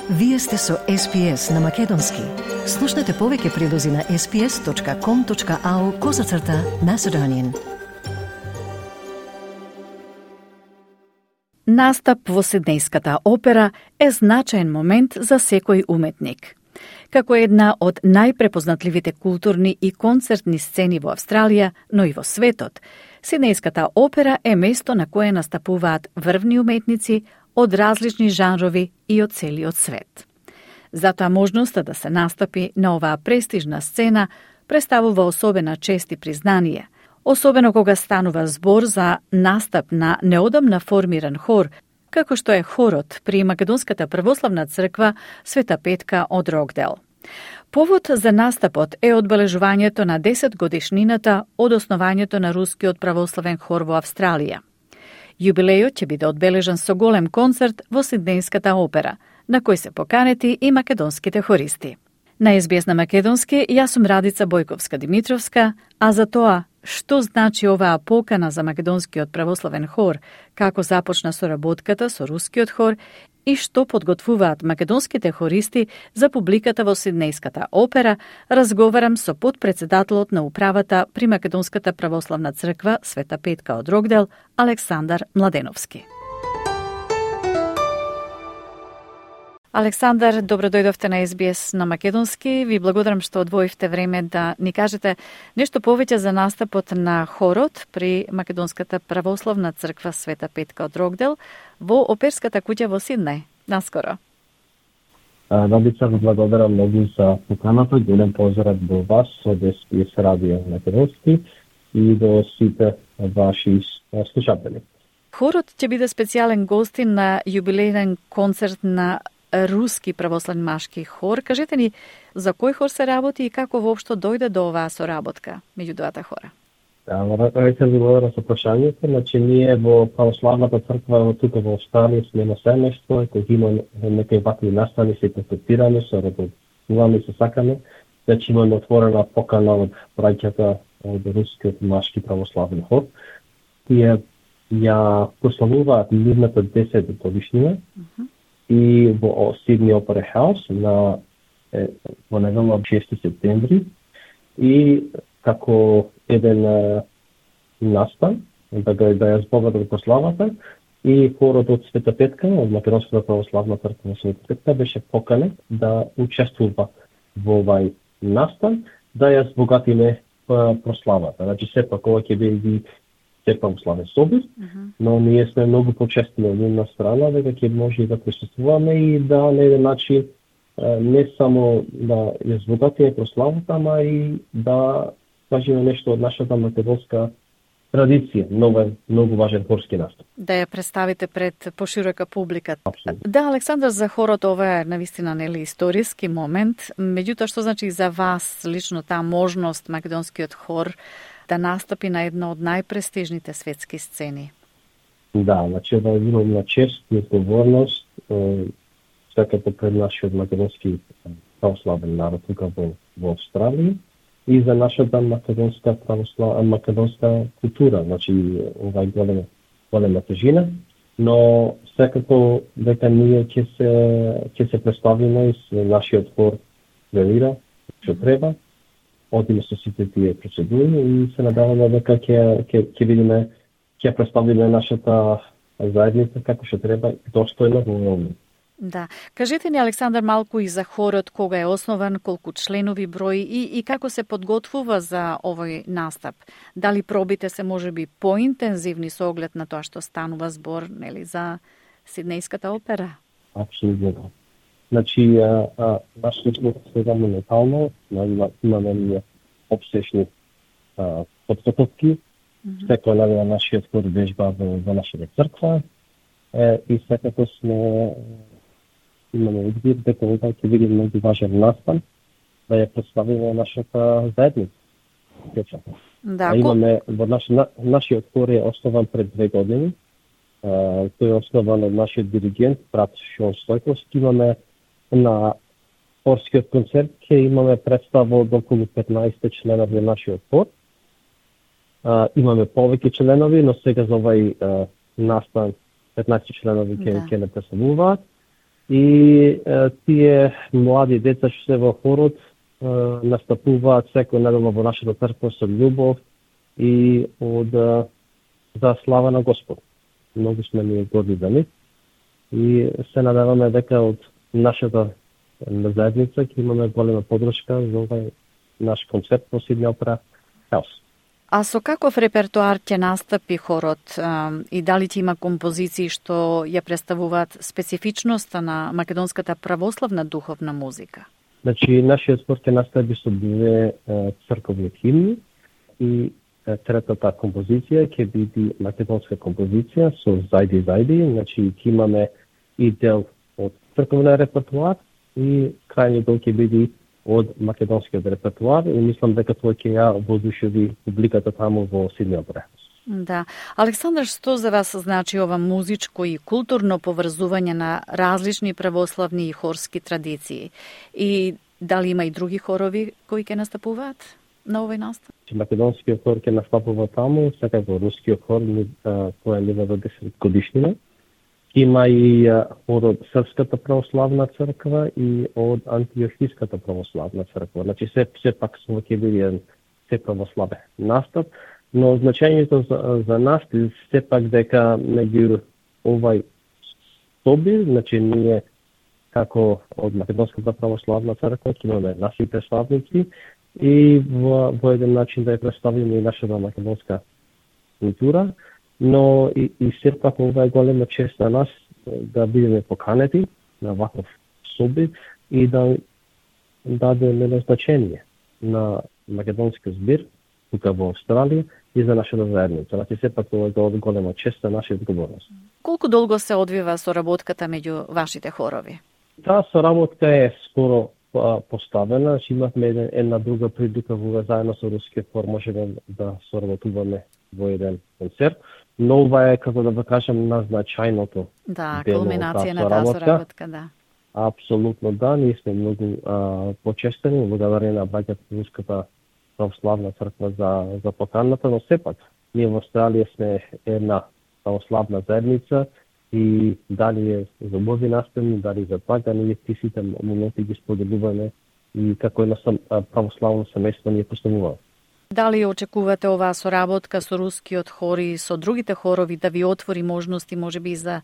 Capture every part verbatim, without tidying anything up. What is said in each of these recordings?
Вие сте со Ес Би Ес на Македонски. Слушнете повеќе прилози на ес би ес точка ком точка ау козацрта Macedonian. Настап во Сиднејската опера е значаен момент за секој уметник. Како една од најпрепознатливите културни и концертни сцени во Австралија, но и во светот, Сиднејската опера е место на кое настапуваат врвни уметници од различни жанрови и од целиот свет. Затоа можноста да се настапи на оваа престижна сцена представува особена чест и признание, особено кога станува збор за настап на неодамна формиран хор, како што е хорот при Македонската православна црква Света Петка од Рокдел. Повод за настапот е одбележувањето на десет годишнината од основањето на Рускиот православен хор во Австралија. Јубилејот ќе биде одбележан со голем концерт во Сиднејската опера, на кој се поканети и македонските хористи. На Ес Би Ес на Македонски, јас сум Радица Бојковска-Димитровска, а за тоа што значи оваа покана за Македонскиот православен хор, како започна соработката со Рускиот хор и што подготвуваат македонските хористи за публиката во Сиднејската опера, разговарам со подпредседателот на управата при Македонската православна црква Света Петка од Рокдел, Александар Младеновски. Александар, добро дојдовте на Ес Би Ес на Македонски. Ви благодарам што одвоивте време да ни кажете нешто повеќе за настапот на хорот при Македонската православна црква Света Петка од Рокдел во оперската куќа во Сиднеј. Наскоро. Радица, ви благодарам многу за поканата. Голем поздрав до вас од Ес Би Ес Радио Македонски и до сите ваши слушатели. Хорот ќе биде специјален гостин на јубилејен концерт на Руски православен машки хор. Кажете ни за кој хор се работи и како воопшто дојде до оваа соработка меѓу двата хора? Да, рака ви благодарам за прашањето. Значи, ние во православната црква тука во Австралија сме на семејство, кој има некои вакви настани, се концептираме, се работуваме, се сакаме. Значи, имаме отворена покана од браќата од Рускиот машки православен хор. Тие ја прославуваат нивната десета годишнина. Mm-hmm. И во Сидни Опера Хаус на е, во недела шести септември и како еден е, настан да го да ја збогатат прославата и хорот од Света Петка од Македонската православна црква Света Петка беше поканет да учествува во овај настан да ја збогатиме прославата. Значи сепак ова ќе биде се православен собир, uh-huh. но ние сме многу почестени од една страна дека ќе може да присуствуваме и да на еден начин не само да ја збогатиме прославата, ама и да кажеме нешто од нашата македонска традиција, многу многу важен хорски настап. Да ја представите пред поширока публика. Абсолютно. Да, Александар, за хорот ова е навистина нели историски момент, меѓутоа што значи за вас лично таа можност македонскиот хор да настапи на една од најпрестижните светски сцени? Да, значи да имам на чест и одговорност секако пред нашиот македонски православен народ тука во, во Австралија и за нашата македонска православна македонска култура, значи овај голема голема тежина, но секако дека ние ќе се ќе се представиме и нашиот хор велира што треба. Одиме со сите тие процедури и се надеваме дека ќе ќе ќе видиме ќе представиме нашата заедница како што треба достојно во момент. Да. Кажете ни, Александар, малку и за хорот, кога е основан, колку членови брои и, и како се подготвува за овој настап. Дали пробите се можеби поинтензивни со оглед на тоа што станува збор, нели, за Сиднејската опера? Апсолутно. Значи, а, а, нашиот збор сега моментално имаме ние обсешни подготовки. Mm-hmm. Секој ден на нашиот хор вежба во, во нашата црква е, и секако сме имаме избир дека ова ќе биде многу важен настан да ја представиме нашата заедница. Да, а имаме во наш, на, нашиот хор е основан пред две години. А, тој е основан од нашиот диригент брат Шон Стојковски. Имаме на хорскиот концерт ќе имаме представа од околу петнаесет членови на нашиот хор. А, имаме повеќе членови, но сега за овај настан петнаесет членови ќе ќе не представуваат. И е, тие млади деца што се во хорот е, настапуваат секој недела во нашата црква со љубов и од за слава на Господ. Многу сме ние горди за нив и се надеваме дека од нашата заедница ќе имаме голема подршка за овај наш концерт во Сидни Опера Хаус. А со каков репертуар ќе настапи хорот а, и дали ќе има композиции што ја представуваат специфичноста на македонската православна духовна музика? Значи, нашиот збор ќе настапи со две црковни химни и третата композиција ќе биде македонска композиција со Зајди Зајди, значи ќе имаме и дел од црковен репертуар и крајниот дел ќе биде од македонскиот репертуар и мислам дека тоа ќе ја воодушеви публиката таму во Сидни Опера. Да. Александар, што за вас значи ова музичко и културно поврзување на различни православни и хорски традиции? И дали има и други хорови кои ќе настапуваат на овој настап? Македонскиот хор ќе настапува таму, секако рускиот хор кој е нивната десет годишнина. Има и од Српската православна црква и од Антиохиската православна црква. Значи се се пак со ќе биде еден се православен настап, но значењето за, за нас е се пак дека меѓу овај соби, значи ние како од Македонската православна црква ќе имаме наши представници и во, во еден начин да ја представиме и нашата македонска култура, но и, и сепак ова е голема чест за нас да бидеме поканети на ваков соби и да дадеме значење на македонски збир тука во Австралија и за нашата заедница. Значи сепак ова е голема чест за нашата одговорност. Колку долго се одвива соработката меѓу вашите хорови? Таа соработка е скоро поставена, че имавме една, една друга прилика во заедно со рускиот хор можеме да соработуваме во еден концерт, но ова е, како да го кажам, назначајното. Да, кулминација на таа соработка, да. Апсолутно да, ние сме многу а, почестени, благодарение на браќата Руската православна црква за, за поканата, но сепак, ние во Австралија сме една православна заедница и дали е за убави настани, дали за пак, да ние ти сите моменти ги споделуваме и како една православно семејство ние поставуваме. Дали очекувате оваа соработка со рускиот хор и со другите хорови да ви отвори можности, можеби за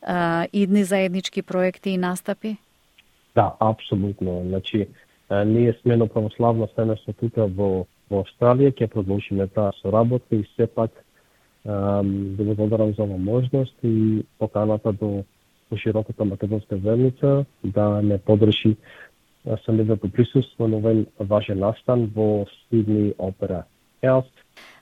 а, идни заеднички проекти и настапи? Да, апсолутно. Значи, а, ние сме едно православно семејство тука во, во Австралија, ќе продолжиме таа соработка и сепак да го благодарам за оваа можност и поканата до пошироката македонска заедница да не подрши самивото присуство на овој важен настан во Сидни Опера Хаус.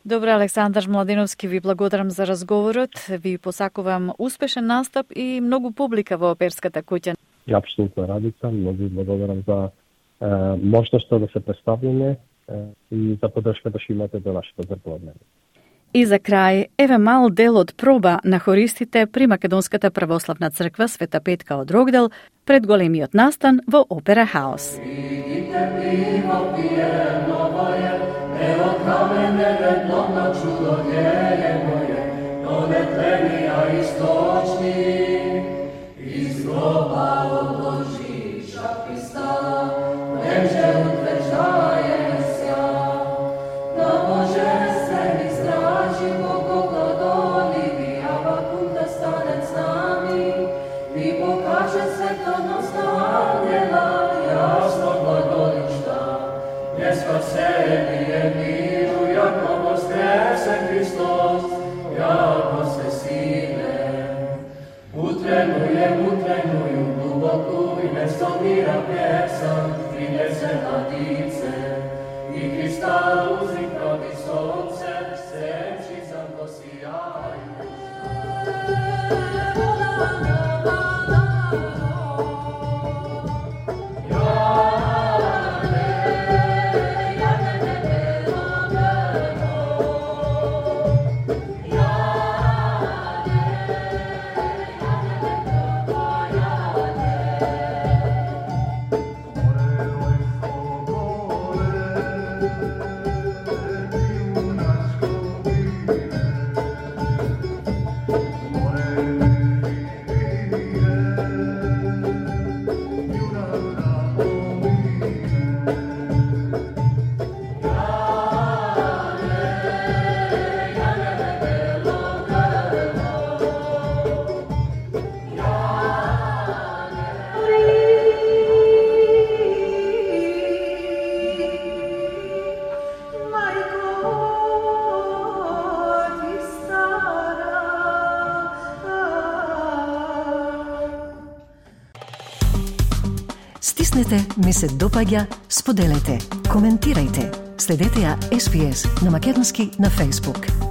Добре, Александар Младеновски, ви благодарам за разговорот. Ви посакувам успешен настап и многу публика во оперската куќа. И апсолутно Радица, многу ви благодарам за е, можноста да се представиме е, и за поддршката што имате до нашата црква. И за крај, еве мал дел од проба на хористите при Македонската православна црква Света Петка од Рогдел пред големиот настан во Опера Хаус. Видите пиво пиено моје, ево каменене плотно чудо геје моје, но не тлени, а источни, из гроба одложи шапи стала, немже утверждае ся, на божествени стражи Бого гладоли, ви Авакум да стане с нами, ви покаже светоност ангела, ясно глаголишта, не спасени е миру, јако воскресен Христос, јако се силен. Утренујем, утренују глубоку и место мира песан, принесе надице, и кристал узник проти сонце, сечи занко сияју. Una Стиснете ми се допаѓа, споделете, коментирајте. Следете ја Ес Би Ес на македонски на Facebook.